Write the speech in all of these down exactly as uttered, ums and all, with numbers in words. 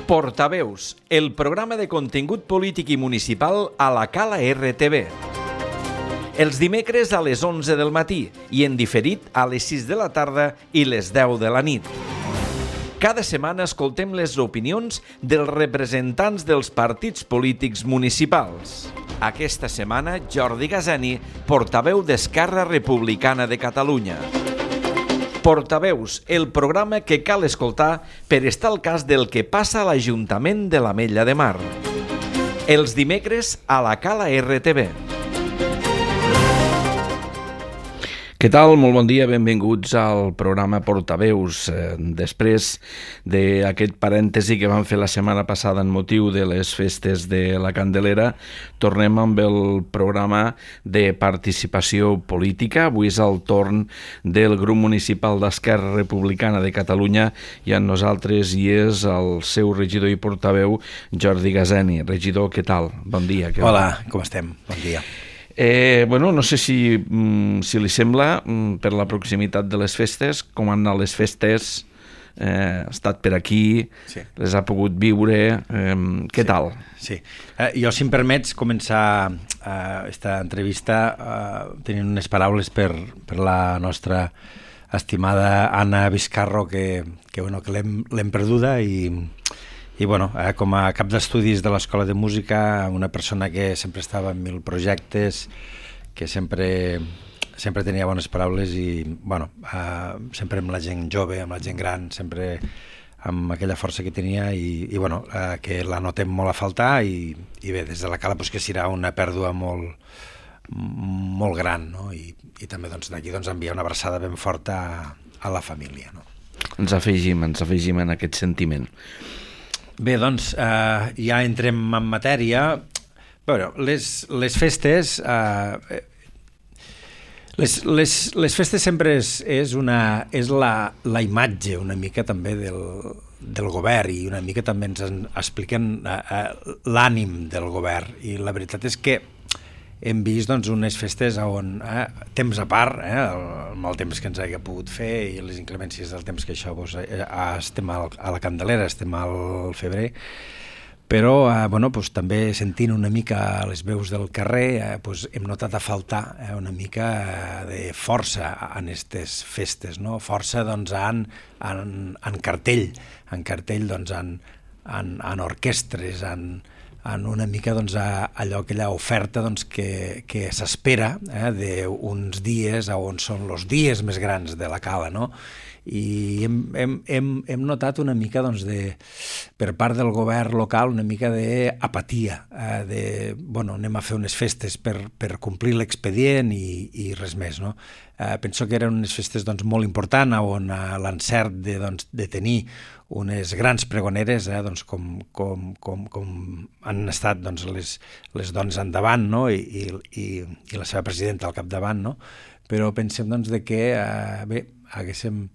Portaveus, el programa de contingut polític i municipal a la Cala R T V. Els dimecres a les onze del matí i en diferit a les sis de la tarda i les deu de la nit. Cada setmana escoltem les opinions dels representants dels partits polítics municipals. Aquesta setmana, Jordi Gazani, portaveu d'Esquerra Republicana de Catalunya. Portaveus, el programa que cal escoltar per estar al cas del que passa a l'Ajuntament de l'Ametlla de Mar. Els dimecres a la Cala R T V. Què tal? Molt bon dia, benvinguts al programa Portaveus. Després d'aquest parèntesi que vam fer la setmana passada en motiu de les festes de la Candelera, tornem amb el programa de participació política. Avui és el torn del grup municipal d'Esquerra Republicana de Catalunya i amb nosaltres hi és el seu regidor i portaveu, Jordi Gazani. Regidor, què tal? Bon dia. Hola, com estem? Bon dia. Eh, bueno, no sé si, si li sembla, per la proximitat de les festes, com han anat les festes, eh, ha estat per aquí, sí. Les ha pogut viure, eh, què sí. tal? Sí, eh, jo, si em permets, començar aquesta eh, entrevista eh, tenint unes paraules per, per la nostra estimada Anna Vizcarro, que, que, bueno, que l'hem, l'hem perduda i... I bueno, eh, com a cap d'estudis de l'Escola de Música, una persona que sempre estava en mil projectes, que sempre, sempre tenia bones paraules i bueno, eh, sempre amb la gent jove, amb la gent gran, sempre amb aquella força que tenia i, i bueno, eh, que la notem molt a faltar i, i bé, des de la Cala pues, que serà una pèrdua molt, molt gran, no? I, i també doncs, d'aquí doncs, enviar una abraçada ben forta a, a la família. No? Ens afegim, ens afegim en aquest sentiment. Bé, doncs, eh, ja entrem en matèria. Bueno, les, les festes... Eh, les, les, les festes sempre és, és, una, és la, la imatge una mica també del, del govern i una mica també ens expliquen eh, l'ànim del govern. I la veritat és que hem vist doncs, unes festes on, eh, temps a part, eh, el, el mal temps que ens hagi pogut fer i les inclemències del temps que això, doncs, eh, estem al, a la Candelera, estem al febrer, però eh, bueno, doncs, també sentint una mica les veus del carrer, eh, doncs, hem notat a faltar eh, una mica eh, de força en aquestes festes, no? Força doncs, en, en, en cartell, en cartell, doncs, en, en, en orquestres, en en una mica doncs, allò, aquella oferta doncs, que, que s'espera eh, d'uns dies on són els dies més grans de la Cala, no? I hem, hem, hem, hem notat una mica doncs, de, per part del govern local una mica d'apatia, eh, de, bueno, anem a fer unes festes per, per complir l'expedient i, i res més, no? Eh, penso que eren unes festes doncs, molt importants on eh, l'encert de, doncs, de tenir unes grans pregoneres, eh, doncs, com, com, com, com han estat doncs, les, les dones endavant, no? I, i, i la seva presidenta al capdavant, no? Però pensem doncs, de que eh, bé, haguéssim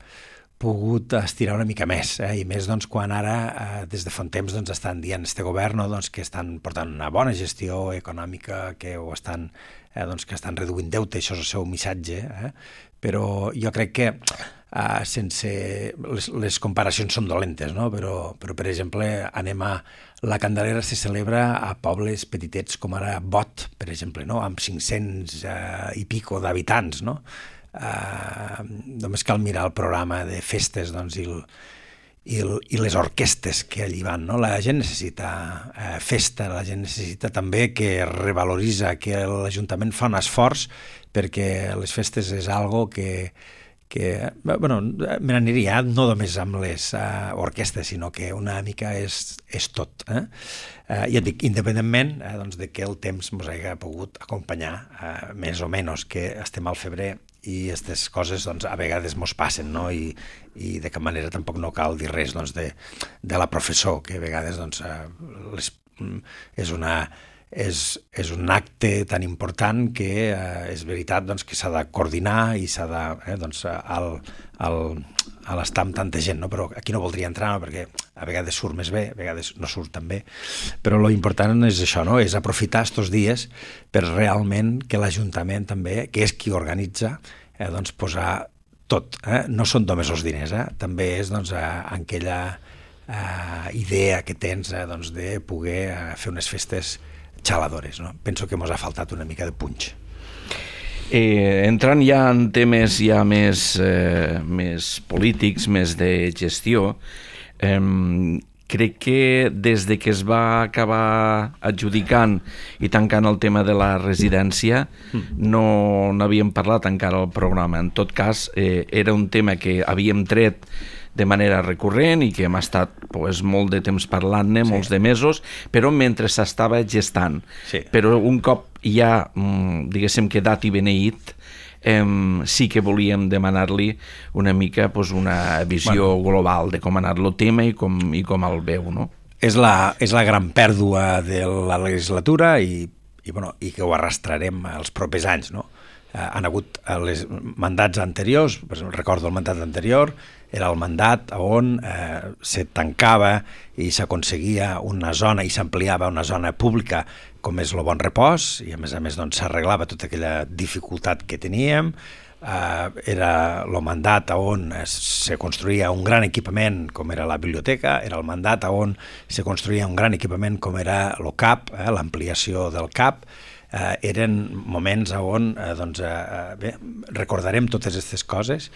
pogut estirar una mica més, eh? I més doncs, quan ara, eh, des de fa un temps, doncs, estan dient este govern no? doncs, que estan portant una bona gestió econòmica, que ho estan, eh, doncs, que estan reduint deute, això és el seu missatge, eh? Però jo crec que eh, sense... Les, les comparacions són dolentes, no? Però, però, per exemple, anem a... La Candelera se celebra a pobles petitets com ara Bot, per exemple, no? Amb cinc-cents eh, i pico d'habitants, no? Eh, només cal mirar el programa de festes doncs, i, el, i, el, i les orquestes que allí van, no? La gent necessita eh, festa, la gent necessita també que revaloritza, que l'Ajuntament fa un esforç perquè les festes és algo que, que bueno, me n'aniria no només amb les uh, orquestes, sinó que una mica és, és tot. Eh? Uh, ja et dic, independentment eh, doncs, de que el temps ens hagi pogut acompanyar, uh, més o menys, que estem al febrer i aquestes coses doncs, a vegades mos passen, no? I, i de cap manera tampoc no cal dir res doncs, de, de la professor, que a vegades doncs, uh, les, és una... És, és un acte tan important que eh, és veritat doncs, que s'ha de coordinar i s'ha de... Eh, doncs, al, al, a l'estar amb tanta gent, no? Però aquí no voldria entrar, no? Perquè a vegades surt més bé, a vegades no surt tan bé, però lo important és això, no? És aprofitar aquests dies per realment que l'Ajuntament també, que és qui organitza, eh, doncs posar tot. Eh? No són només els diners, eh? També és doncs, aquella uh, idea que tens uh, doncs, de poder uh, fer unes festes xaladores, no? Penso que mos ha faltat una mica de punx. Eh, entrant ja en temes ja més, eh, més polítics, més de gestió, eh, crec que des de que es va acabar adjudicant i tancant el tema de la residència no n'havíem parlat encara al programa. En tot cas, eh, era un tema que havíem tret de manera recurrent i que hem estat pues, molt de temps parlant-ne, sí. molts de mesos, però mentre s'estava gestant. Sí. Però un cop ja, diguéssim, quedat i beneït, eh, sí que volíem demanar-li una mica pues, una visió bueno. global de com ha anat el tema i com, i com el veu, no? És la, és la gran pèrdua de la legislatura i, i, bueno, i que ho arrastrarem els propers anys, no? Eh, han hagut els mandats anteriors, per exemple, recordo el mandat anterior, era el mandat on eh, se tancava i s'aconseguia una zona i s'ampliava una zona pública com és el Bon Repòs, i a més a més doncs, s'arreglava tota aquella dificultat que teníem. Eh, era el mandat on se construïa un gran equipament com era la biblioteca, era el mandat on se construïa un gran equipament com era el C A P, eh, l'ampliació del C A P. Eh, eren moments on eh, doncs, eh, bé, recordarem totes aquestes coses.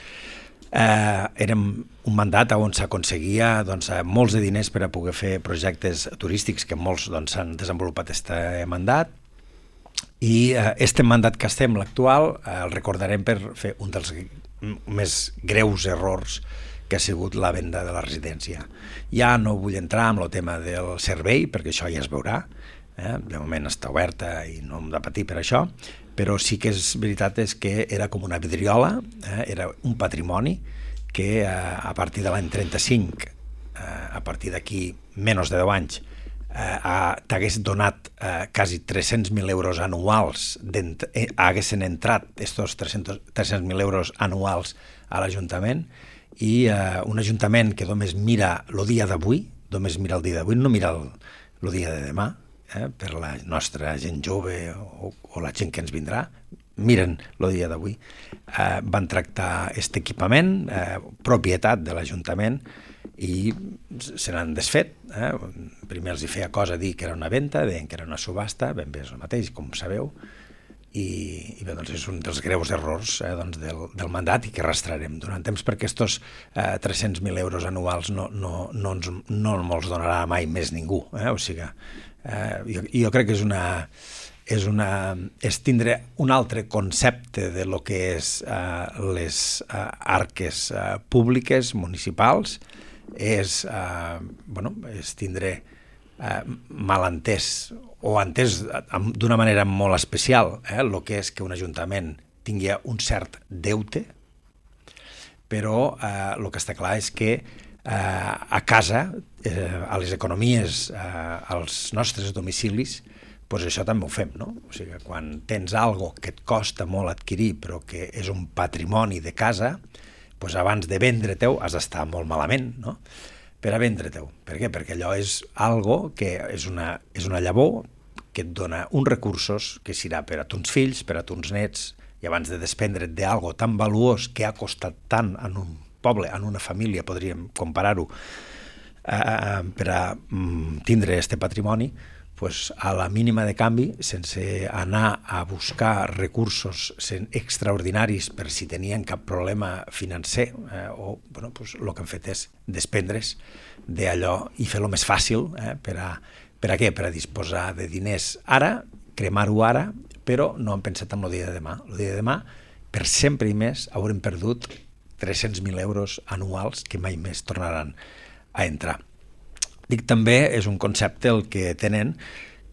Eh, érem un mandat on s'aconseguia doncs, molts de diners per a poder fer projectes turístics que molts doncs, s'han desenvolupat aquest mandat i eh, este mandat que estem, l'actual, eh, el recordarem per fer un dels més greus errors que ha sigut la venda de la residència. Ja no vull entrar en el tema del servei perquè això ja es veurà, eh? De moment està oberta i no hem de patir per això, però sí que és veritat és que era com una vidriola, eh? Era un patrimoni que eh, a partir de l'any trenta-cinc, eh, a partir d'aquí menys de deu anys, eh, t'hagués donat eh, quasi tres-cents mil euros anuals, eh, haguessin entrat estos tres-cents mil euros anuals a l'Ajuntament, i eh, un Ajuntament que només mira el dia d'avui, només mira el dia d'avui, no mira el, el dia de demà, Eh, per la nostra gent jove o, o la gent que ens vindrà, miren el dia d'avui. Eh, van tractar aquest equipament, eh, propietat de l'Ajuntament, i se n'han desfet. Eh? Primer els hi feia cosa dir que era una venda, deien que era una subhasta, ben bé és el mateix, com sabeu, i, i bé, doncs és un dels greus errors eh, doncs del, del mandat i que arrastrarem durant temps, perquè aquests eh, tres-cents mil euros anuals no, no, no, ens, no ens donarà mai més ningú. Eh? O sigui, eh, jo, jo crec que és una, és una és tindre un altre concepte de lo que és eh, les eh, arques eh, públiques, municipals, és, eh, bueno, és tindre eh, malentès o entès d'una manera molt especial eh, el que és que un ajuntament tingui un cert deute, però eh, el que està clar és que eh, a casa, eh, a les economies, eh, als nostres domicilis, pues això també ho fem, no? O sigui, quan tens algo que et costa molt adquirir però que és un patrimoni de casa, pues abans de vendre-te'l has d'estar molt malament, no? Per a vendre-te'l. Per què? Perquè allò és algo que és una, és una llavor que et dona uns recursos que serà per a tons fills, per a tons nets, i abans de desprendre't d'algo tan valuós que ha costat tant en un poble, en una família, podríem comparar-ho, eh, per a mm, tindre este patrimoni, pues a la mínima de canvi, sense anar a buscar recursos extraordinaris per si tenien cap problema financer, eh, o bueno, pues, el que han fet és desprendre's d'allò i fer-lo més fàcil. Eh, per, a, per a què? Per a disposar de diners ara, cremar-ho ara, però no han pensat en el dia de demà. El dia de demà, per sempre i més, haurem perdut tres-cents mil euros anuals que mai més tornaran a entrar. Dic també, és un concepte el que tenen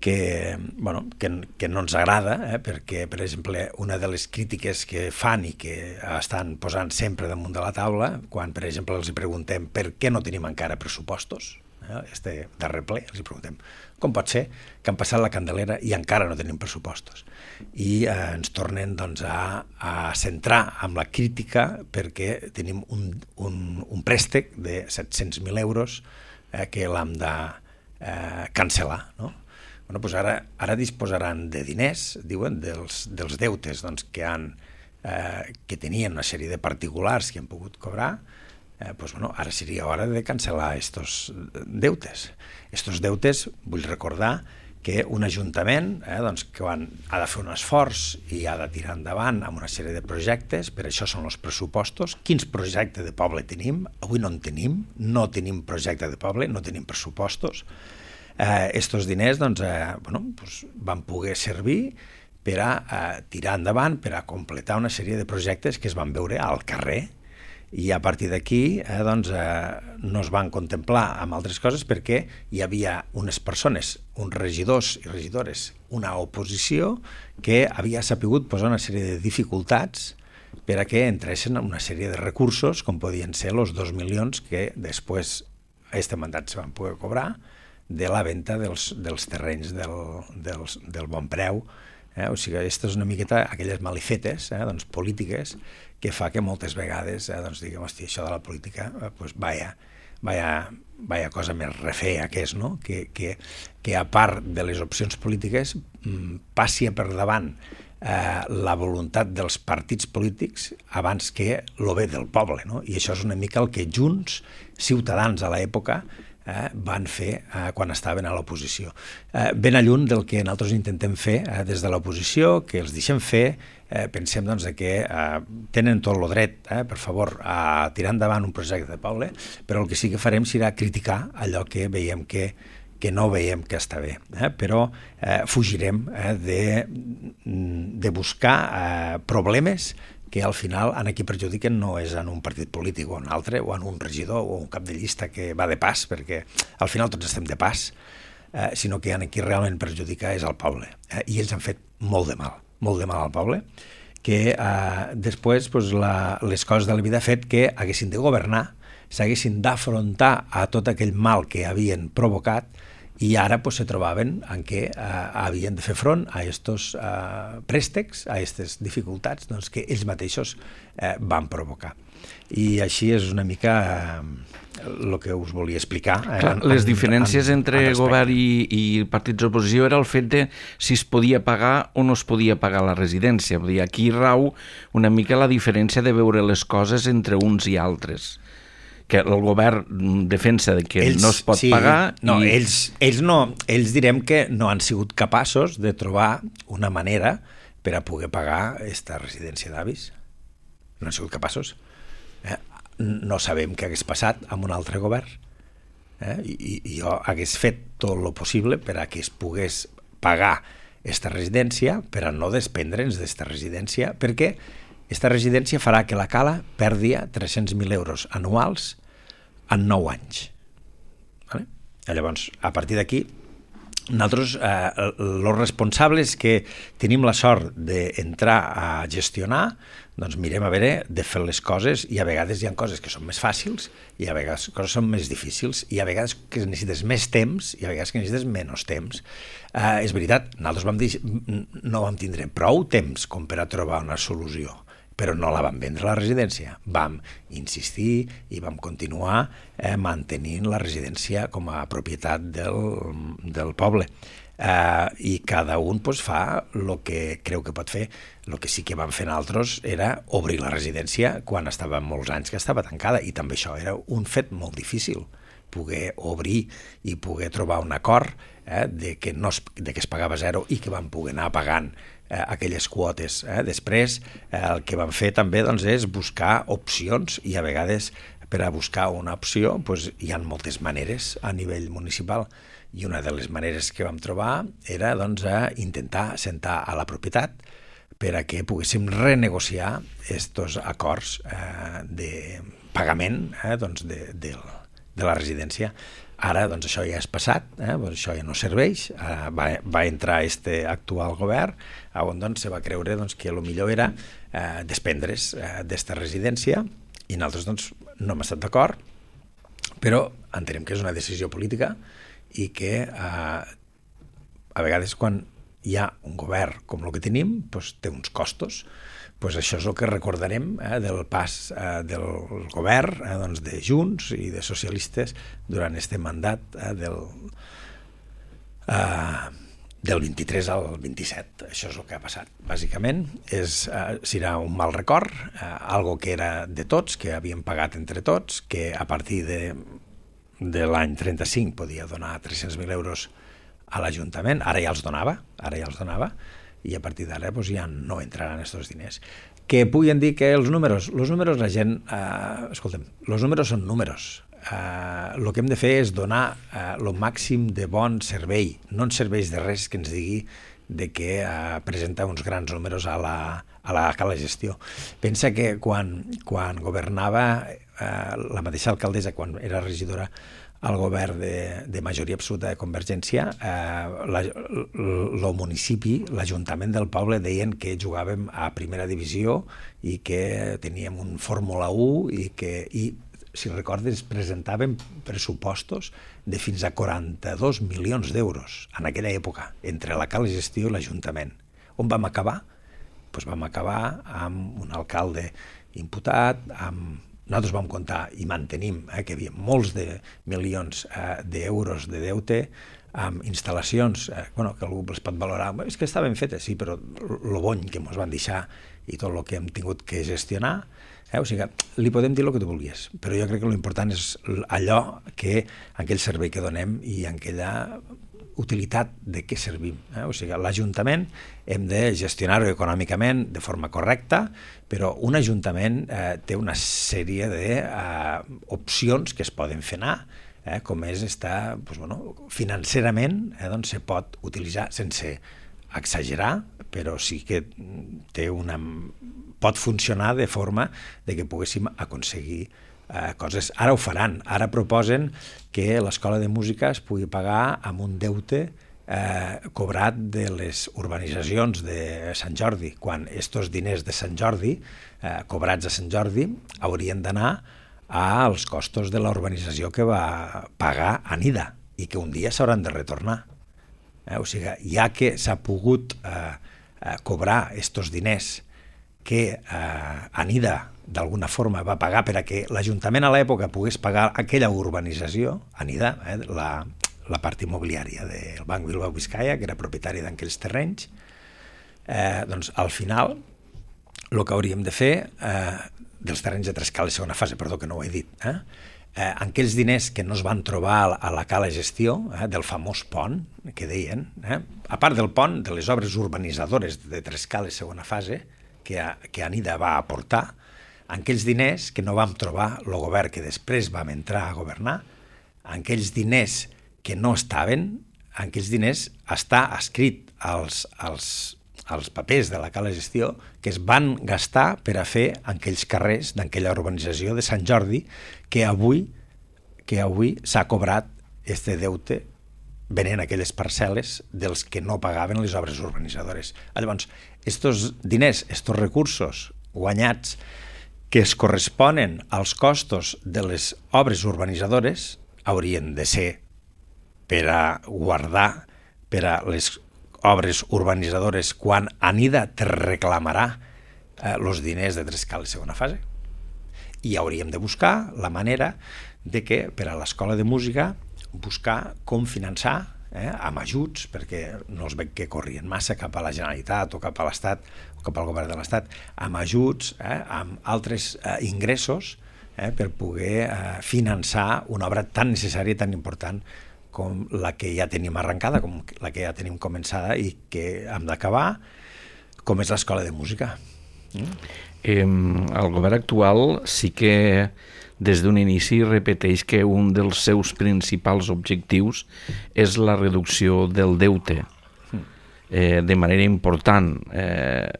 que, bueno, que, que no ens agrada, eh, perquè, per exemple, una de les crítiques que fan i que estan posant sempre damunt de la taula, quan, per exemple, els preguntem per què no tenim encara pressupostos, eh, este darrer ple, els preguntem com pot ser que han passat la Candelera i encara no tenim pressupostos. I eh, ens tornen doncs, a, a centrar amb la crítica perquè tenim un, un, un préstec de set-cents mil euros que l'hem de eh, cancel·lar, no? Bueno, doncs ara, ara disposaran de diners, diuen, dels, dels deutes doncs, que, han, eh, que tenien una sèrie de particulars que han pogut cobrar, Eh, doncs, bueno, ara seria hora de cancel·lar estos deutes. Estos deutes, vull recordar que un ajuntament eh, doncs, que quan ha de fer un esforç i ha de tirar endavant amb una sèrie de projectes, per això són els pressupostos. Quins projectes de poble tenim? Avui no en tenim, no tenim projecte de poble, no tenim pressupostos. Eh, estos diners doncs, eh, bueno, doncs van poder servir per a eh, tirar endavant, per a completar una sèrie de projectes que es van veure al carrer, i a partir d'aquí eh, doncs, eh, no es van contemplar amb altres coses perquè hi havia unes persones, uns regidors i regidores, una oposició que havia sapigut posar una sèrie de dificultats per a que entressin una sèrie de recursos, com podien ser els dos milions que després a aquest mandat se van poder cobrar de la venda dels, dels terrenys del, dels, del bon preu. Eh? O sigui, aquesta és una miqueta aquelles malifetes eh, doncs, polítiques que fa que moltes vegades eh, doncs, diguem, hosti, això de la política, eh, pues, vaya, vaya, vaya cosa més refea que és, no? Que, que, que a part de les opcions polítiques mm, passi per davant eh, la voluntat dels partits polítics abans que lo bé del poble, no? I això és una mica el que Junts, Ciutadans a l'època, Eh, van fer eh, quan estaven a l'oposició. Eh, ben a lluny del que nosaltres intentem fer eh, des de l'oposició, que els deixem fer, eh, pensem doncs, que eh, tenen tot el dret, eh, per favor, a tirar endavant un projecte de poble, però el que sí que farem serà criticar allò que veiem que, que no veiem que està bé. Eh? Però eh, fugirem eh, de, de buscar eh, problemes que al final en qui perjudiquen no és en un partit polític o en un altre, o en un regidor o un cap de llista que va de pas, perquè al final tots estem de pas, eh, sinó que en qui realment perjudica és el poble. Eh, I ells han fet molt de mal, molt de mal al poble, que eh, després pues, la, les coses de la vida ha fet que haguessin de governar, s'haguessin d'afrontar a tot aquell mal que havien provocat, i ara pues, se trobaven en què eh, havien de fer front a aquests eh, préstecs, a aquestes dificultats doncs, que ells mateixos eh, van provocar. I així és una mica el eh, que us volia explicar. Eh, Clar, en, les en, diferències en, entre en govern i, i partits d'oposició era el fet de si es podia pagar o no es podia pagar la residència. Vull dir, aquí rau una mica la diferència de veure les coses entre uns i altres, que el govern defensa de que ells, no es pot sí, pagar. No, i... ells, ells, no, ells direm que no han sigut capaços de trobar una manera per a poder pagar aquesta residència d'avis. No han sigut capaços. Eh? No sabem què hagués passat amb un altre govern. Eh? I, I jo hagués fet tot el possible per a que es pogués pagar aquesta residència, per a no desprendre'ns d'aquesta residència, perquè aquesta residència farà que la Cala perdi tres-cents mil euros anuals en nou anys. Vale? Llavors, a partir d'aquí, nosaltres, eh, els responsables que tenim la sort d'entrar a gestionar, doncs mirem a veure de fer les coses, i a vegades hi ha coses que són més fàcils i a vegades coses són més difícils, i a vegades que necessites més temps i a vegades que necessites menys temps. Eh, és veritat, nosaltres vam dir, no vam tindre prou temps com per a trobar una solució, però no la vam vendre la residència. Vam insistir i vam continuar eh, mantenint la residència com a propietat del, del poble. Eh, I cada un pues, fa el que creu que pot fer. El que sí que vam fer nosaltres era obrir la residència quan estava molts anys que estava tancada, i també això era un fet molt difícil, poder obrir i poder trobar un acord eh, de, que no es, de que es pagava zero i que vam poder anar pagant eh, aquelles quotes. Eh. Després eh, el que vam fer també doncs, és buscar opcions, i a vegades per a buscar una opció doncs, hi ha moltes maneres a nivell municipal, i una de les maneres que vam trobar era doncs, a intentar sentar a la propietat per a que poguéssim renegociar aquests acords eh, de pagament eh, doncs, de, de, de la residència. Ara doncs, això ja és passat, eh, doncs, això ja no serveix, eh, va, va entrar este actual govern on doncs, se va creure doncs, que el millor era eh, desprendre's eh, d'esta residència, i nosaltres doncs, no hem estat d'acord, però entenem que és una decisió política i que eh, a vegades quan hi ha un govern com el que tenim, doncs, té uns costos. Doncs això és el que recordarem eh, del pas eh, del govern eh, doncs de Junts i de socialistes durant aquest mandat eh, del, eh, del vint-i-tres al vint-i-set. Això és el que ha passat. Bàsicament, és, eh, serà un mal record, eh, algo que era de tots, que havíem pagat entre tots, que a partir de, de l'any trenta-cinc podia donar tres-cents mil euros a l'Ajuntament, ara ja els donava, ara ja els donava, i a partir d'ara doncs, ja no entraran aquests diners. Que puguin dir que els números, els números la gent, eh, escolta'm, els números són números. El uh, que hem de fer és donar el uh, màxim de bon servei. No ens serveix de res que ens digui de que uh, presenta uns grans números a la, a la, a la gestió. Pensa que quan, quan governava uh, la mateixa alcaldessa, quan era regidora al govern de, de majoria absoluta de Convergència, eh, la, el municipi, l'Ajuntament del poble deien que jugàvem a primera divisió i que teníem un Fórmula u i que... I, si recordes, presentàvem pressupostos de fins a quaranta-dos milions d'euros en aquella època, entre la Cala Gestió i l'Ajuntament. On vam acabar? Doncs vam acabar amb un alcalde imputat, amb... nosaltres vam comptar i mantenim eh, que hi havia molts de milions eh, d'euros de deute, amb instal·lacions eh, bueno, que algú les pot valorar, és que estaven fetes, sí, però el bony que ens van deixar i tot el que hem tingut que gestionar. Eh? O sigui, li podem dir el que tu vulguis, però jo crec que l'important és allò que, aquell servei que donem i aquella utilitat de què servim. Eh? O sigui, l'Ajuntament hem de gestionar-ho econòmicament de forma correcta, però un Ajuntament eh, té una sèrie d'opcions eh, que es poden fer anar, eh, com és estar, doncs, bueno, financerament eh, doncs se pot utilitzar sense exagerar, però sí que té una... pot funcionar de forma de que poguéssim aconseguir eh, coses. Ara ho faran, ara proposen que l'Escola de Música es pugui pagar amb un deute eh, cobrat de les urbanitzacions de Sant Jordi, quan estos diners de Sant Jordi, eh, cobrats a Sant Jordi, haurien d'anar als costos de la urbanització que va pagar Anida i que un dia s'hauran de retornar. Eh? O sigui, ja que s'ha pogut eh, eh, cobrar estos diners que eh, Anida d'alguna forma va pagar per a que l'Ajuntament a l'època pogués pagar aquella urbanització, Anida, eh, la, la part immobiliària del Banc Bilbao Vizcaya, que era propietari d'aquells terrenys, eh, doncs al final el que hauríem de fer, eh, dels terrenys de Trescal de segona fase, perdó que no ho he dit, eh, eh, aquells diners que no es van trobar a la Cala Gestió, eh, del famós pont, que deien, eh, a part del pont, de les obres urbanitzadores de Trescal de segona fase, que, que Anida va aportar, aquells diners que no vam trobar el govern que després vam entrar a governar, aquells diners que no estaven, aquells diners està escrit als, als, als papers de la Cala Gestió que es van gastar per a fer aquells carrers d'aquella urbanització de Sant Jordi que avui, que avui s'ha cobrat este deute venent aquelles parcel·les dels que no pagaven les obres urbanitzadores. Llavors, estos diners, estos recursos guanyats que es corresponen als costos de les obres urbanitzadores haurien de ser per a guardar per a les obres urbanitzadores quan Anida te reclamarà eh, els diners de Trescal de segona fase. I hauríem de buscar la manera de que per a l'Escola de Música buscar com finançar eh, amb ajuts, perquè no es veig que corrien massa cap a la Generalitat o cap a l'Estat o cap al govern de l'Estat, amb ajuts, eh, amb altres eh, ingressos eh, per poder eh, finançar una obra tan necessària i tan important com la que ja tenim arrencada, com la que ja tenim començada i que hem d'acabar, com és l'Escola de Música. Mm? Eh, el govern actual sí que des d'un inici repeteix que un dels seus principals objectius és la reducció del deute eh, de manera important. Eh,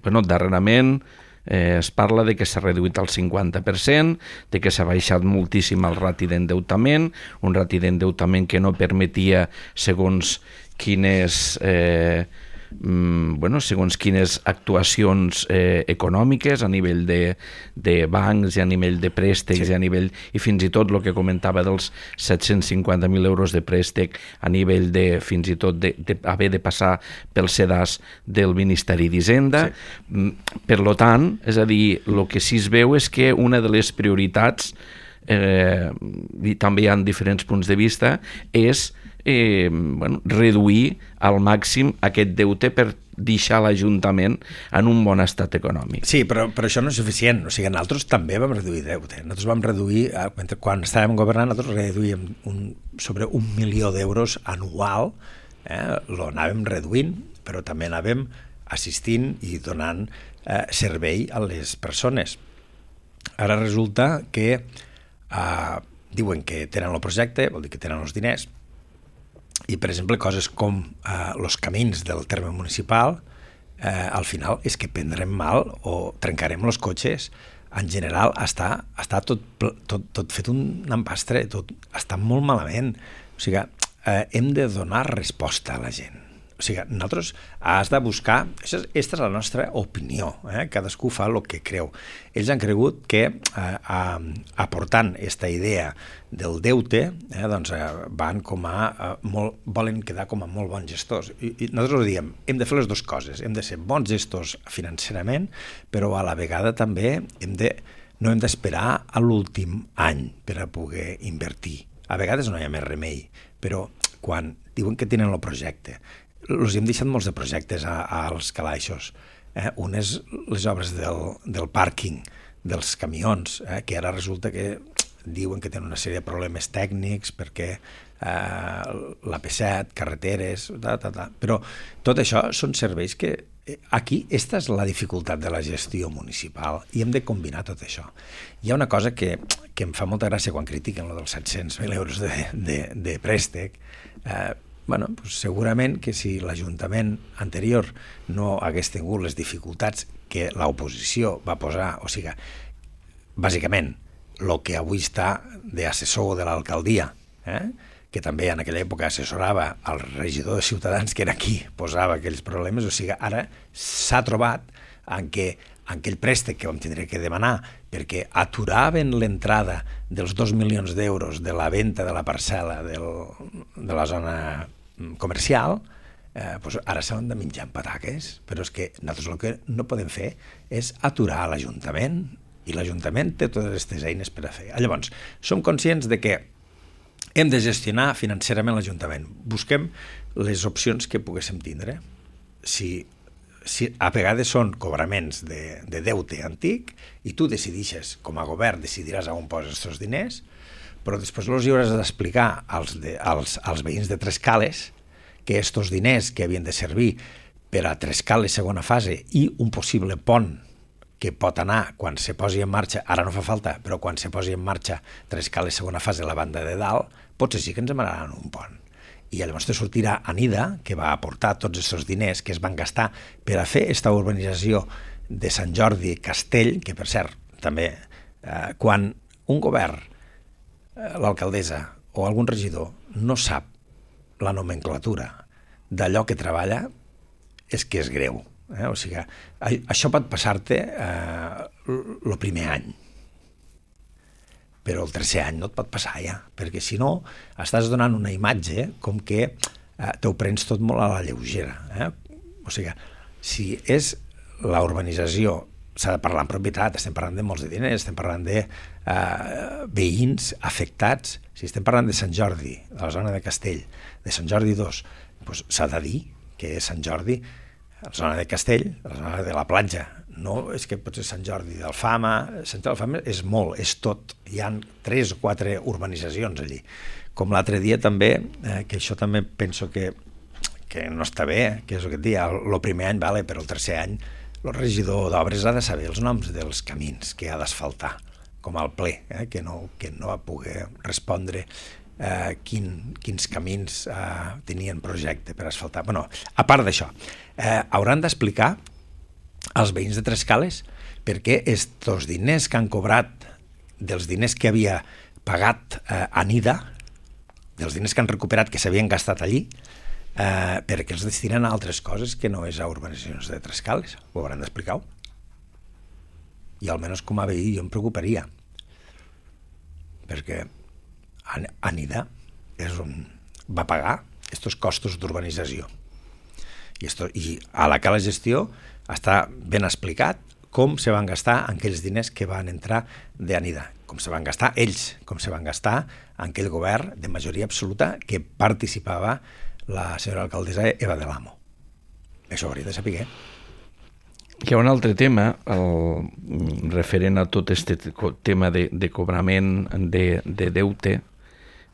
bueno, darrerament eh, es parla de que s'ha reduït al cinquanta per cent, de que s'ha baixat moltíssim el rati d'endeutament, un rati d'endeutament que no permetia, segons quines... Eh, bueno, segons quines actuacions eh, econòmiques a nivell de, de bancs i a nivell de préstecs sí. i a nivell, i fins i tot el que comentava dels set-cents cinquanta mil euros de préstec a nivell de fins i tot de, de haver de passar pel sedàs del Ministeri d'Hisenda. Sí. Per lo tant, és a dir, el que sí es veu és que una de les prioritats eh, i també hi ha diferents punts de vista, és eh, bueno, reduir al màxim aquest deute per deixar l'Ajuntament en un bon estat econòmic. Sí, però, però això no és suficient. O sigui, nosaltres també vam reduir deute. Nosaltres vam reduir, quan estàvem governant, nosaltres reduïm un, sobre un milió d'euros anual, eh, lo anàvem reduint, però també anàvem assistint i donant eh, servei a les persones. Ara resulta que eh, diuen que tenen el projecte, vol dir que tenen els diners, i, per exemple, coses com eh, els camins del terme municipal, eh, al final és que prendrem mal o trencarem els cotxes. En general, està, està tot, tot, tot fet un empastre, tot està molt malament. O sigui, eh, hem de donar resposta a la gent. O sigui, nosaltres has de buscar... Aquesta és la nostra opinió, eh? Cadascú fa el que creu. Ells han cregut que eh, aportant aquesta idea del deute, eh, doncs eh, van com a... Eh, molt, volen quedar com a molt bons gestors. I, i nosaltres ho diem, hem de fer les dues coses. Hem de ser bons gestors financerament, però a la vegada també hem de, no hem d'esperar a l'últim any per a poder invertir. A vegades no hi ha més remei, però quan diuen que tenen el projecte, els hem deixat molts de projectes a, als calaixos. Eh? Un és les obres del, del pàrquing, dels camions, eh? que ara resulta que diuen que tenen una sèrie de problemes tècnics perquè eh, l'A P set, carreteres, ta, ta, ta. Però tot això són serveis que aquí, esta és la dificultat de la gestió municipal i hem de combinar tot això. Hi ha una cosa que, que em fa molta gràcia quan critiquen lo dels set-cents mil euros de, de, de préstec. Eh, bueno, pues segurament que si l'Ajuntament anterior no hagués tingut les dificultats que l'oposició va posar, o sigui, bàsicament, el que avui està d'assessor de l'alcaldia, eh? que també en aquella època assessorava el regidor de Ciutadans, que era qui posava aquells problemes, o sigui, ara s'ha trobat en què en aquell préstec que vam tindre que demanar perquè aturaven l'entrada dels dos milions d'euros de la venda de la parcel·la del, de la zona comercial, eh, doncs ara s'han de menjar amb pataques, però és que nosaltres el que no podem fer és aturar l'Ajuntament, i l'Ajuntament té totes aquestes eines per a fer. Llavors, som conscients de que hem de gestionar financerament l'Ajuntament. Busquem les opcions que poguéssim tindre. Si, si a vegades són cobraments de, de deute antic i tu decidixes, com a govern, decidiràs on poses aquests diners, però després els hi hauràs d'explicar als, de, als, als veïns de Trescales que aquests diners que havien de servir per a Trescales segona fase i un possible pont que pot anar quan se posi en marxa, ara no fa falta, però quan se posi en marxa Trescales segona fase a la banda de dalt, potser sí que ens demanaran un pont. I llavors te sortirà Anida, que va aportar tots aquests diners que es van gastar per a fer aquesta urbanització de Sant Jordi Castell, que per cert, també, eh, quan un govern, eh, l'alcaldessa o algun regidor no sap la nomenclatura d'allò que treballa, és que és greu. Eh? O sigui, això pot passar-te el eh, primer any, però el tercer any no et pot passar ja, perquè si no estàs donant una imatge com que eh, t'ho prens tot molt a la lleugera. Eh? O sigui, si és la urbanització, s'ha de parlar en propietat, estem parlant de molts de diners, estem parlant de eh, veïns afectats. Si estem parlant de Sant Jordi, de la zona de Castell, de Sant Jordi dos, doncs s'ha de dir que és Sant Jordi, la zona de Castell, la zona de la platja. No és que pot ser Sant Jordi d'Alfama, Sant Jordi d'Alfama és molt, és tot. Hi ha tres o quatre urbanitzacions allí. Com l'altre dia també, eh, que això també penso que, que no està bé, que és el que et dia, el primer any vale, però el tercer any el regidor d'obres ha de saber els noms dels camins que ha d'asfaltar, com al ple, eh, que, no, que no va poder respondre eh, quin, quins camins eh, tenien projecte per asfaltar. Bueno, a part d'això, eh, hauran d'explicar als veïns de Trescales perquè estos diners que han cobrat dels diners que havia pagat eh, Anida, dels diners que han recuperat que s'havien gastat allí, eh, perquè els destinen a altres coses que no és a urbanitzacions de Trescales. Ho hauran d'explicar-ho. I almenys com a veí jo em preocuparia, perquè Anida és on va pagar aquests costos d'urbanització. I, esto, I a la cala gestió està ben explicat com se van gastar aquells diners que van entrar d'Anida. com se van gastar ells, com se van gastar en aquell govern de majoria absoluta que participava la senyora alcaldessa Eva de l'Amo. Això ho hauria de saber. Hi ha un altre tema, el, referent a tot aquest tema de, de cobrament de, de deute,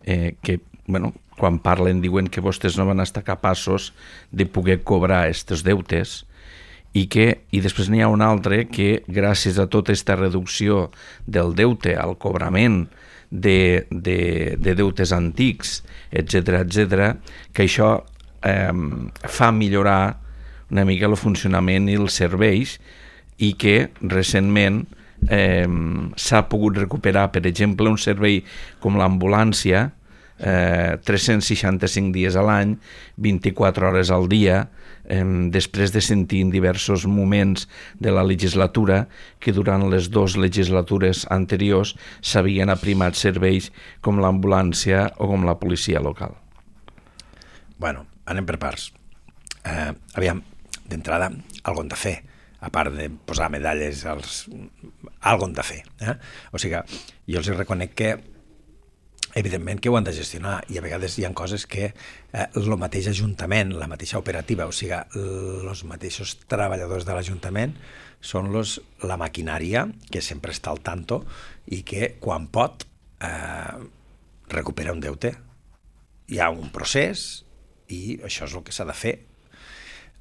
eh, que, bueno, quan parlen diuen que vostès no van estar capaços de poder cobrar aquests deutes, i que i després n'hi ha un altre que gràcies a tota aquesta reducció del deute, al cobrament de, de, de deutes antics, etcètera, etcètera, que això eh, fa millorar una mica el funcionament i els serveis, i que recentment eh, s'ha pogut recuperar, per exemple, un servei com l'ambulància, eh, tres-cents seixanta-cinc dies a l'any, vint-i-quatre hores al dia, eh, després de sentir en diversos moments de la legislatura que durant les dues legislatures anteriors s'havien aprimat serveis com l'ambulància o com la policia local. Bueno, anem per parts. Eh, aviam, d'entrada, algo hem de fer, a part de posar medalles, als... algo hem de fer. Eh? O sigui, jo els reconec que evidentment que ho han de gestionar, i a vegades hi ha coses que eh, el mateix Ajuntament, la mateixa operativa, o sigui, els mateixos treballadors de l'Ajuntament són los, la maquinària que sempre està al tanto i que quan pot eh, recupera un deute. Hi ha un procés i això és el que s'ha de fer.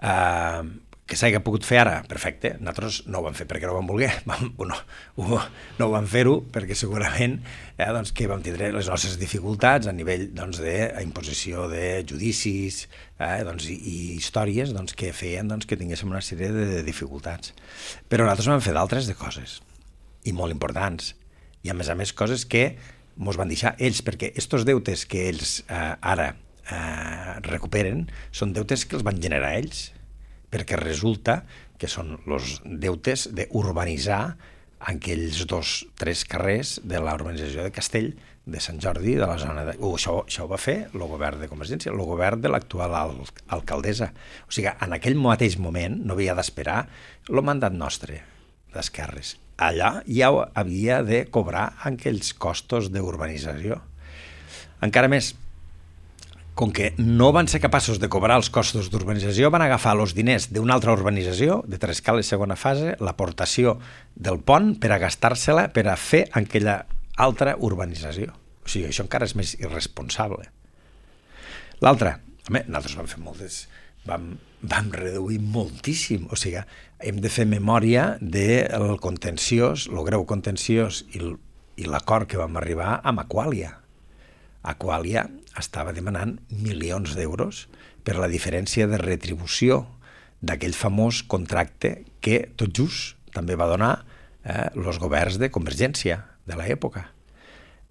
Uh, que s'hagi pogut fer ara, perfecte, nosaltres no ho vam fer perquè no ho vam voler, vam, no, ho, no ho vam fer-ho perquè segurament eh, doncs, que vam tindre les nostres dificultats a nivell doncs, d'imposició de judicis eh, doncs, i, i històries doncs, que feien doncs, que tinguéssim una sèrie de dificultats. Però nosaltres vam fer d'altres de coses, i molt importants, i a més a més coses que ens van deixar ells, perquè estos deutes que ells eh, ara Eh, recuperen són deutes que els van generar ells, perquè resulta que són els deutes d'urbanitzar aquells dos, tres carrers de la urbanització de Castell, de Sant Jordi, de la zona de... Uh, això, això ho va fer el govern de Convergència, el govern de l'actual al, alcaldessa. O sigui, en aquell mateix moment no havia d'esperar el mandat nostre d'esquerres. Allà ja havia de cobrar aquells costos d'urbanització. Encara més, com que no van ser capaços de cobrar els costos d'urbanització, van agafar els diners d'una altra urbanització, de Trescales segona fase, l'aportació del pont per a gastar-se-la per a fer aquella altra urbanització. O sigui, això encara és més irresponsable. L'altra, nosaltres vam fer moltes... Vam, vam reduir moltíssim. O sigui, hem de fer memòria del contenciós, el greu contenciós i l'acord que vam arribar amb Aquàlia. Aquàlia estava demanant milions d'euros per la diferència de retribució d'aquell famós contracte que tot just també va donar eh, els governs de Convergència de l'època.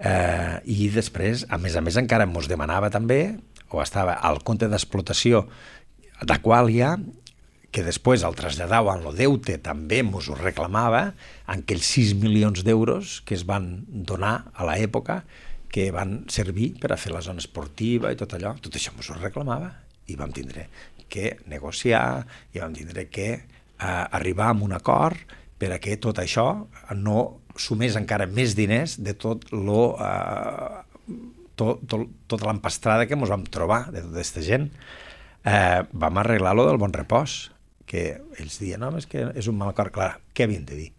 Eh, I després, a més a més, encara ens demanava també, o estava al compte d'explotació d'Aquàlia, que després el traslladava en el deute, també ens ho reclamava, en aquells sis milions d'euros que es van donar a l'època, que van servir per a fer la zona esportiva i tot allò, tot això ens ho reclamava i vam tindre que negociar i vam tindre que eh, arribar a un acord per a que tot això no sumés encara més diners de tot lo, eh, tot, tot, tota l'empastrada que ens vam trobar de tota aquesta gent. Eh, vam arreglar lo del bon repòs, que ells diuen, no, és que és un mal acord. Clar, què havien de dir?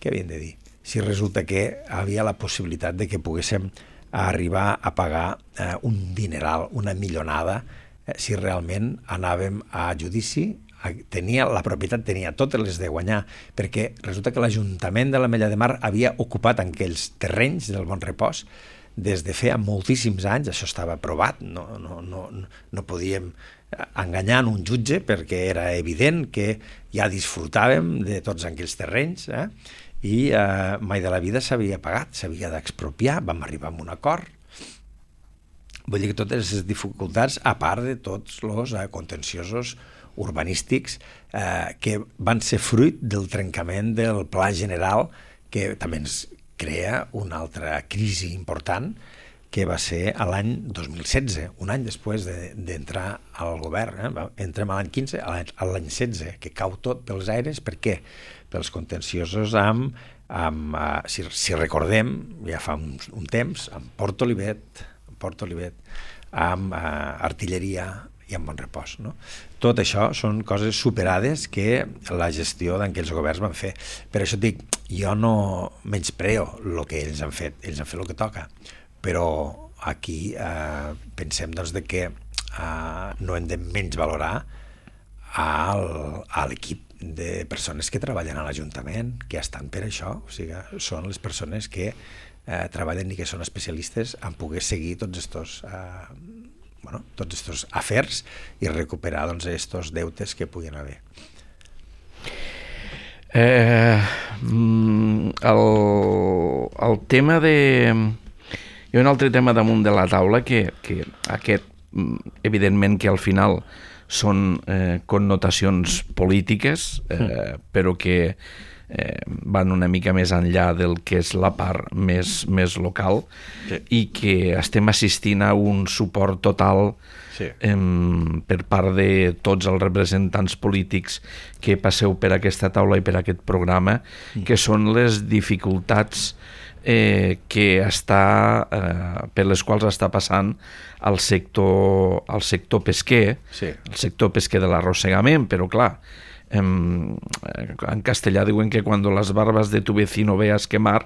Què havien de dir? Si resulta que havia la possibilitat de que poguéssim a arribar a pagar eh, un dineral, una millonada, eh, si realment anàvem a judici, tenia, la propietat tenia totes les de guanyar, perquè resulta que l'Ajuntament de l'Ametlla de Mar havia ocupat aquells terrenys del Bon Repòs des de feia moltíssims anys, això estava aprovat, no, no, no, no podíem enganyar un jutge perquè era evident que ja disfrutàvem de tots aquells terrenys, eh? i eh, mai de la vida s'havia pagat, s'havia d'expropiar, vam arribar a un acord. Vull dir que totes les dificultats, a part de tots els eh, contenciosos urbanístics eh, que van ser fruit del trencament del Pla General, que també ens crea una altra crisi important, que va ser a l'any dos mil setze, un any després d'entrar de, al govern. Eh? Entrem a l'any quinze, a l'any setze, que cau tot pels aires. Per què? Pels contenciosos amb amb, uh, si, si recordem, ja fa un, un temps, amb Port Olivet, amb Port Olivet, amb uh, artilleria i amb Bonrepòs, no? Tot això són coses superades que la gestió d'aquells governs van fer. Per això et dic, jo no menyspreo el que ells han fet, ells han fet el que toca, però aquí eh, pensem doncs, de que eh, no hem de menys valorar al, a l'equip de persones que treballen a l'Ajuntament, que estan per això, o sigui, són les persones que eh, treballen i que són especialistes en poder seguir tots estos, eh, bueno, tots estos afers i recuperar doncs, estos deutes que puguin haver. Eh, el, el tema de... Hi ha un altre tema damunt de la taula que, que aquest, evidentment que al final són eh, connotacions polítiques, eh, però que eh, van una mica més enllà del que és la part més, més local, sí. I que estem assistint a un suport total sí. eh, per part de tots els representants polítics que passeu per aquesta taula i per aquest programa, mm. que són les dificultats Eh, que està eh, per les quals està passant el sector, el sector pesquer, sí. El sector pesquer de l'arrossegament, però clar, eh, en castellà diuen que quan les barbas de tu vecino veas quemar,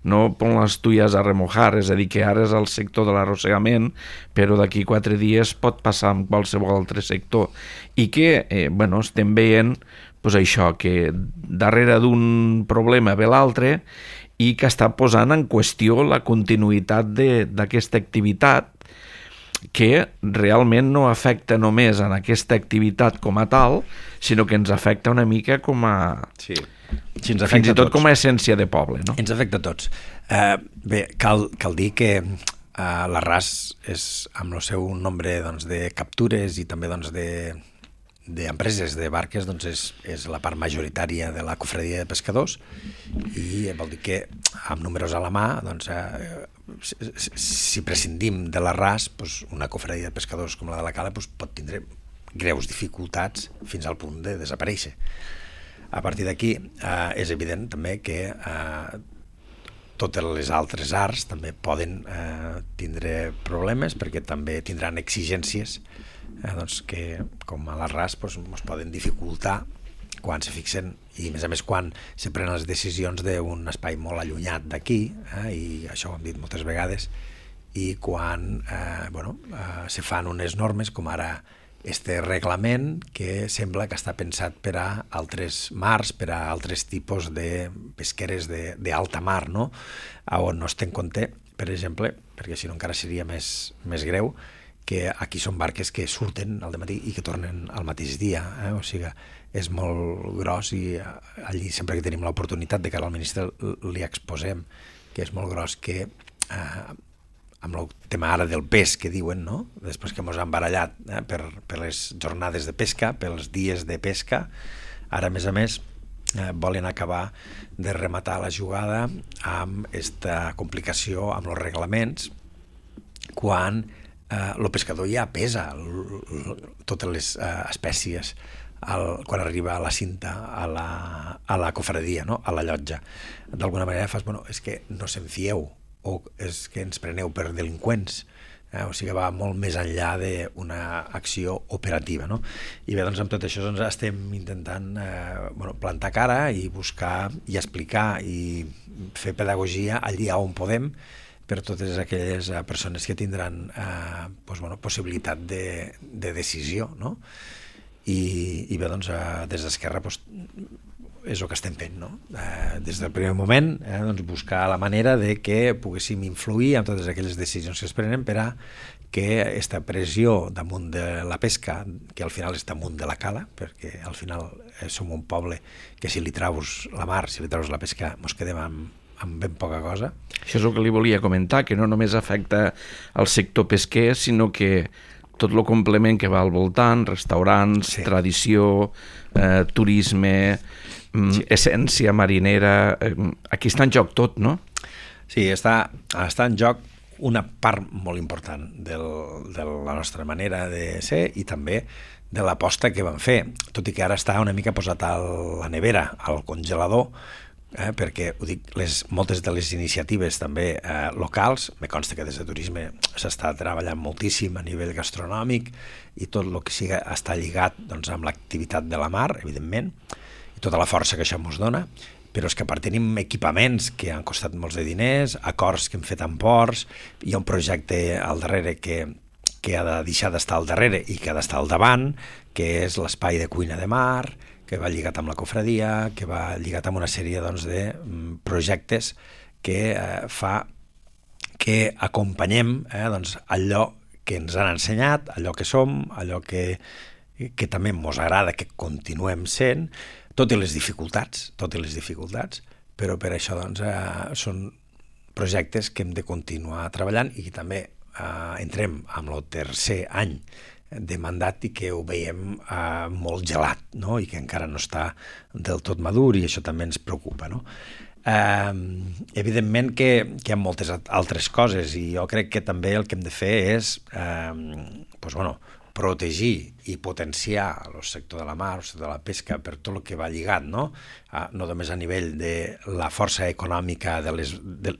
no pon les tuyas a remojar, és a dir, que ara és el sector de l'arrossegament, però d'aquí quatre dies pot passar amb qualsevol altre sector, i que, eh, bueno, estem veient pues això, que darrere d'un problema ve l'altre, i que està posant en qüestió la continuïtat d'aquesta activitat, que realment no afecta només en aquesta activitat com a tal, sinó que ens afecta una mica com a... Sí. Sí, ens fins i tot com a essència de poble, no? Ens afecta a tots. Uh, bé, cal, cal dir que uh, l'Arràs és, amb el seu nombre doncs, de captures i també doncs, de... d'empreses de barques, doncs és, és la part majoritària de la cofradia de pescadors, i vol dir que amb números a la mà, doncs, eh, si, si prescindim de l'Arràs, doncs una cofradia de pescadors com la de la Cala doncs pot tindre greus dificultats fins al punt de desaparèixer. A partir d'aquí eh, és evident també que eh, totes les altres arts també poden eh, tindre problemes, perquè també tindran exigències Eh, doncs que com a l'Arràs doncs, ens poden dificultar quan se fixen, i a més a més quan se prenen les decisions d'un espai molt allunyat d'aquí, eh, i això ho hem dit moltes vegades, i quan eh, bueno, eh, se fan unes normes com ara este reglament que sembla que està pensat per a altres mars, per a altres tipus de pesqueres d'alta mar, no? On no es té en compte, per exemple, perquè si no encara seria més, més greu, que aquí són barques que surten al dematí i que tornen al mateix dia, eh? O sigui, és molt gros, i allí sempre que tenim l'oportunitat de cara al ministre li exposem que és molt gros, que eh, amb el tema ara del pes que diuen, no? Després que ens han barallat eh, per, per les jornades de pesca, pels dies de pesca, ara a més a més eh, volen acabar de rematar la jugada amb aquesta complicació amb els reglaments, quan el pescador ja pesa totes les uh, espècies el, quan arriba a la cinta, a la, a la cofradia, no? A la llotja. D'alguna manera fas, bueno, és que no se'n fieu, o és que ens preneu per delinqüents, eh? O sigui, va molt més enllà d'una acció operativa, no? I bé, doncs amb tot això doncs, estem intentant eh, bueno, plantar cara i buscar i explicar i fer pedagogia allí on podem, per totes aquelles uh, persones que tindran uh, pues, bueno, possibilitat de, de decisió, no? I, i bé, doncs, uh, des d'Esquerra pues, és el que estem fent, no? Uh, des del primer moment, eh, doncs, buscar la manera de que poguéssim influir en totes aquelles decisions que es prenen per a que aquesta pressió damunt de la pesca, que al final és damunt de la cala, perquè al final eh, som un poble que si li traus la mar, si li traus la pesca, mos quedem amb amb ben poca cosa. Això és el que li volia comentar, que no només afecta el sector pesquer, sinó que tot el complement que va al voltant, restaurants, sí. Tradició, eh, turisme, sí. Essència marinera, eh, aquí està en joc tot, no? Sí, està, està en joc una part molt important del, de la nostra manera de ser i també de l'aposta que vam fer, tot i que ara està una mica posat a la nevera, al congelador, eh, perquè ho dic, les, moltes de les iniciatives també eh, locals, me consta que des de turisme s'està treballant moltíssim a nivell gastronòmic i tot el que siga està lligat doncs, amb l'activitat de la mar, evidentment, i tota la força que això ens dona, però és que a part tenim equipaments que han costat molts de diners, acords que hem fet amb ports, hi ha un projecte al darrere que, que ha de deixar d'estar al darrere i que ha d'estar al davant, que és l'espai de cuina de mar, que va lligat amb la cofradia, que va lligat amb una sèrie doncs, de projectes que eh, fa que acompanyem eh, doncs, allò que ens han ensenyat, allò que som, allò que, que també ens agrada que continuem sent, tot i les dificultats, tot i les dificultats, però per això doncs, eh, són projectes que hem de continuar treballant i que també eh, entrem amb el tercer any de mandat i que ho veiem eh, molt gelat, no? I que encara no està del tot madur i això també ens preocupa, no? Eh, evidentment que, que hi ha moltes altres coses i jo crec que també el que hem de fer és eh, doncs, bueno, protegir i potenciar el sector de la mar, el sector de la pesca, per tot el que va lligat, no? Ah, no només a nivell de la força econòmica de, les, de,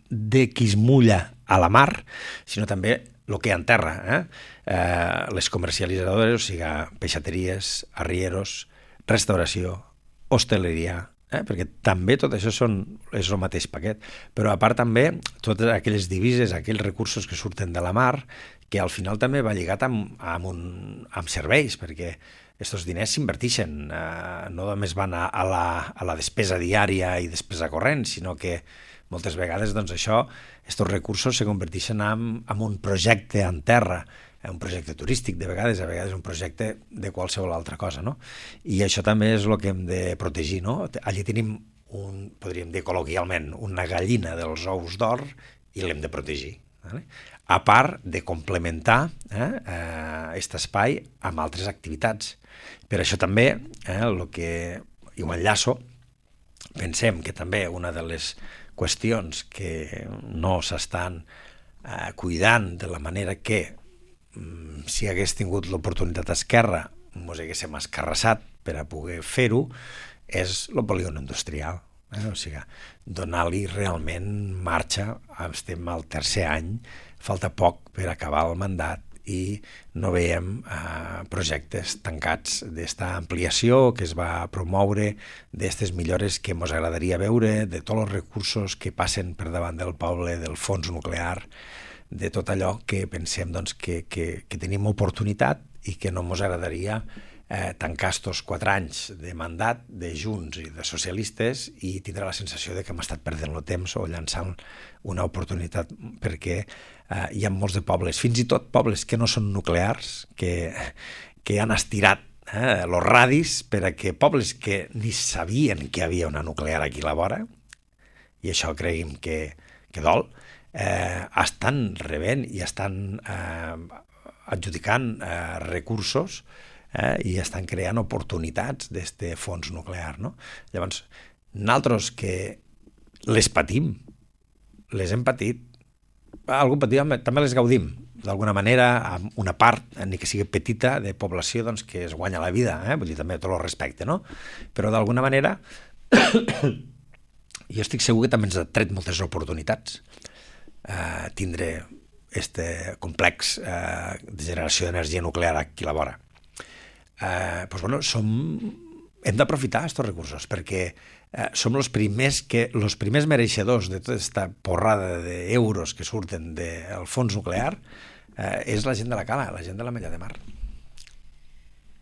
de qui es mulla a la mar, sinó també el que hi ha en terra, eh? Eh, les comercialitzadores, o sigui, peixateries, arrieros, restauració, hostaleria, eh? Perquè també tot això són, és el mateix paquet, però a part també totes aquelles divises, aquells recursos que surten de la mar, que al final també va lligat amb, amb, un, amb serveis, perquè aquests diners s'inverteixen, eh, no només van a, a, la, a la despesa diària i despesa corrent, sinó que moltes vegades doncs, això, aquests recursos se converteixen en, en un projecte en terra, un projecte turístic de vegades, a vegades un projecte de qualsevol altra cosa, no? I això també és el que hem de protegir, no? Allí tenim, un, podríem dir col·loquialment, una gallina dels ous d'or i l'hem de protegir, vale? A part de complementar eh, aquest espai amb altres activitats. Per això també, eh, el que i ho enllaço, pensem que també una de les qüestions que no s'estan eh, cuidant de la manera que mm, si hagués tingut l'oportunitat a Esquerra ens haguéssim escarrassat per a poder fer-ho, és el polígon industrial. Eh? O sigui, donar-li realment marxa, estem al tercer any, falta poc per acabar el mandat i no veiem eh, projectes tancats d'esta ampliació que es va promoure, d'aquestes millores que ens agradaria veure, de tots els recursos que passen per davant del poble, del fons nuclear, de tot allò que pensem doncs, que, que, que tenim oportunitat i que no ens agradaria eh, tancar estos quatre anys de mandat de Junts i de socialistes i tindrà la sensació de que hem estat perdent el temps o llançant una oportunitat, perquè eh, hi ha molts de pobles, fins i tot pobles que no són nuclears, que, que han estirat eh, els radis per a que pobles que ni sabien que hi havia una nuclear aquí a la vora, i això creguem que, que dol, eh, estan rebent i estan eh, adjudicant eh, recursos eh, i estan creant oportunitats d'aquest fons nuclear, no? Llavors, nosaltres que les patim, les hem patit, algun patim, també les gaudim, d'alguna manera, amb una part, ni que sigui petita, de població doncs, que es guanya la vida, eh? Vull dir, també tot el respecte, no? Però d'alguna manera, jo estic segur que també ens ha tret moltes oportunitats eh, tindre este complex eh, de generació d'energia nuclear aquí a la vora. Eh, doncs, bueno, som, hem d'aprofitar aquests recursos perquè eh, som els primers, que, els primers mereixedors de tota aquesta porrada d'euros que surten del fons nuclear eh, és la gent de la cala, la gent de la Mella de Mar.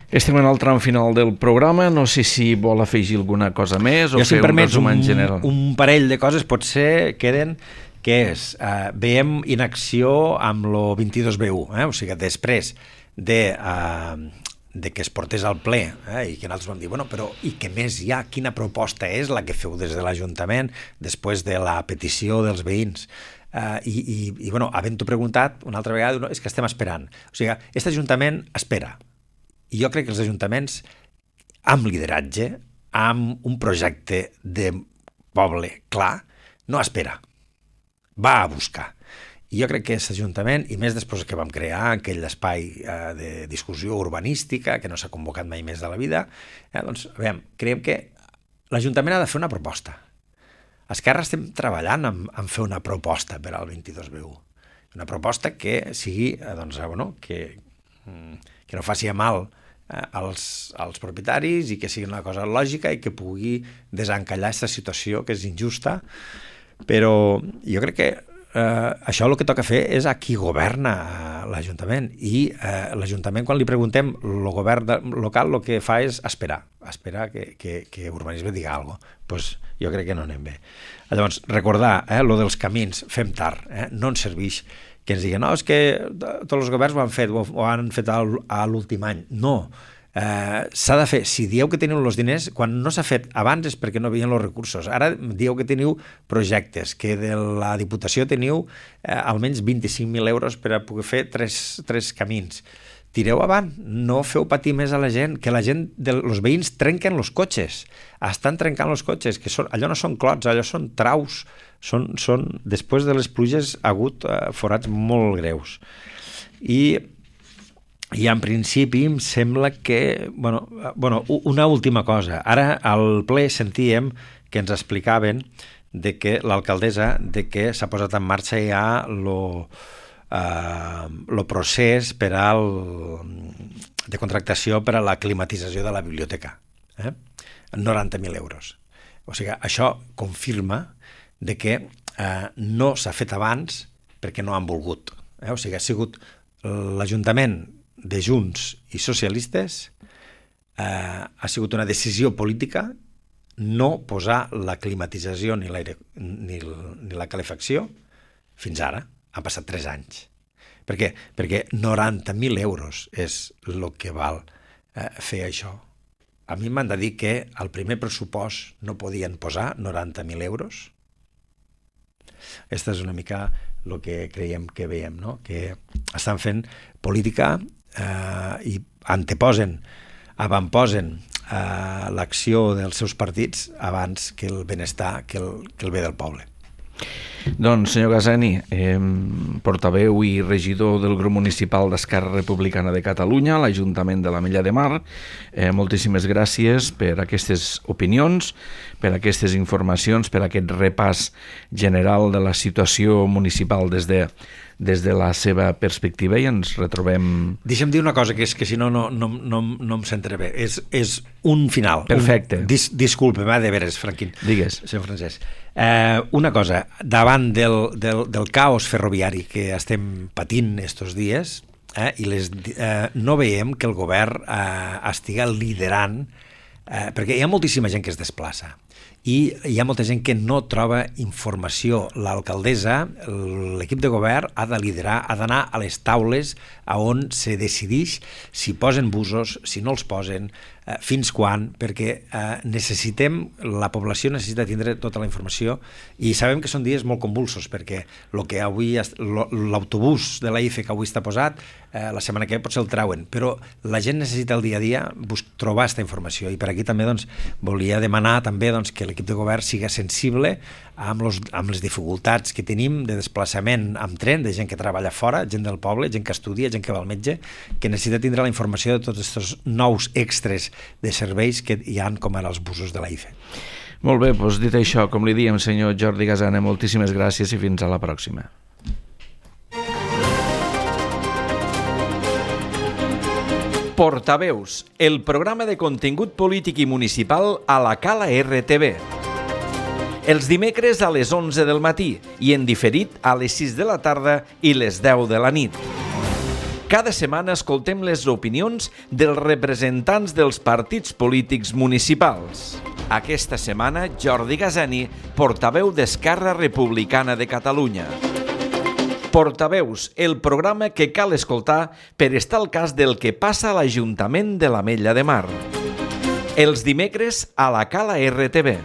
Estem en el tram final del programa, no sé si vol afegir alguna cosa més o jo, si fer un resum en general. Un parell de coses potser queden, que és, eh, veiem inacció amb lo vint-i-dos B U, eh? O sigui, després de, eh, de que es portés al ple eh? I que nosaltres vam dir, bueno, però i què més hi ha? Quina proposta és la que feu des de l'Ajuntament després de la petició dels veïns? Uh, i, i, i bueno, havent-ho preguntat una altra vegada, no, és que estem esperant. O sigui, aquest Ajuntament espera. I jo crec que els ajuntaments, amb lideratge, amb un projecte de poble clar, no espera, va a buscar. I jo crec que aquest Ajuntament, i més després que vam crear aquell espai eh, de discussió urbanística, que no s'ha convocat mai més de la vida, eh, doncs, veiem, creiem que l'Ajuntament ha de fer una proposta. Esquerra estem treballant en, en fer una proposta per al vint-i-dos B U. Una proposta que sigui, doncs, bueno, que, que no faci mal als, als propietaris i que sigui una cosa lògica i que pugui desencallar aquesta situació que és injusta, però jo crec que eh, això el que toca fer és a qui governa l'Ajuntament, i eh, l'Ajuntament, quan li preguntem, el govern de, local el que fa és esperar, esperar que, que, que urbanisme diga alguna cosa. Pues jo crec que no anem bé. Llavors, recordar, eh, lo dels camins, fem tard, eh, no ens serveix que ens diguen, no, és que tots els governs ho han fet, ho han fet a l'últim any. No, eh, s'ha de fer. Si dieu que teniu els diners, quan no s'ha fet abans és perquè no veien els recursos. Ara dieu que teniu projectes, que de la Diputació teniu eh, almenys vint-i-cinc mil euros per a poder fer tres, tres camins. Tireu avant, no feu patir més a la gent, que la gent, els veïns trenquen els cotxes, estan trencant els cotxes, que són, allò no són clots, allò són traus, són, són després de les pluges ha hagut eh, forats molt greus. I, i en principi em sembla que, bueno, bueno, una última cosa, ara al ple sentíem que ens explicaven de que l'alcaldessa, de que s'ha posat en marxa ja lo el uh, procés per al, de contractació per a la climatització de la biblioteca, eh? noranta mil euros. O sigui, això confirma de que uh, no s'ha fet abans perquè no han volgut. Eh? O sigui, ha sigut l'Ajuntament de Junts i socialistes, uh, ha sigut una decisió política no posar la climatització ni, ni, ni la calefacció fins ara. Han passat tres anys. Per què? Perquè noranta mil euros és el que val eh, fer això. A mi m'han de dir que al primer pressupost no podien posar noranta mil euros. Aquesta és una mica el que creiem que veiem, no? Que estan fent política eh, i anteposen, avantposen eh, l'acció dels seus partits abans que el benestar, que el, que el bé del poble. Doncs, senyor Gazani, eh, portaveu i regidor del grup municipal d'Esquerra Republicana de Catalunya a l'Ajuntament de l'Ametlla de Mar, eh, moltíssimes gràcies per aquestes opinions, per aquestes informacions, per aquest repàs general de la situació municipal des de, des de la seva perspectiva, i ens retrobem... Deixa'm dir una cosa, que és que si no no, no, no, no em sentiré bé. És, és un final. Perfecte. Un, dis, disculpa'm, eh, de veres, Franquín. Digues. Senyor Francesc. Eh, una cosa, davant del, del, del caos ferroviari que estem patint estos dies, eh, i les, eh, no veiem que el govern eh, estigui liderant, eh, perquè hi ha moltíssima gent que es desplaça i hi ha molta gent que no troba informació. L'alcaldessa, l'equip de govern ha de liderar, ha d'anar a les taules a on se decideix si posen busos, si no els posen, eh, fins quan, perquè eh, necessitem, la població necessita tindre tota la informació, i sabem que són dies molt convulsos, perquè lo que avui l'autobús de la I F E que avui està posat, eh, la setmana que ve potser el trauen, però la gent necessita el dia a dia trobar aquesta informació, i per aquí també doncs, volia demanar també doncs, que l'equip de govern siga sensible amb, los, amb les dificultats que tenim de desplaçament amb tren, de gent que treballa fora, gent del poble, gent que estudia, gent que va al metge, que necessita tindre la informació de tots aquests nous extres de serveis que hi han, com ara els busos de la I F E. Molt bé, doncs dit això, com li diem, senyor Jordi Gazana, moltíssimes gràcies i fins a la pròxima. Portaveus, el programa de contingut polític i municipal a la Cala R T V. Els dimecres a les onze del matí i en diferit a les sis de la tarda i les deu de la nit. Cada setmana escoltem les opinions dels representants dels partits polítics municipals. Aquesta setmana, Jordi Gazani, portaveu d'Esquerra Republicana de Catalunya. Portaveus, el programa que cal escoltar per estar al cas del que passa a l'Ajuntament de l'Ametlla de Mar. Els dimecres a la Cala R T V.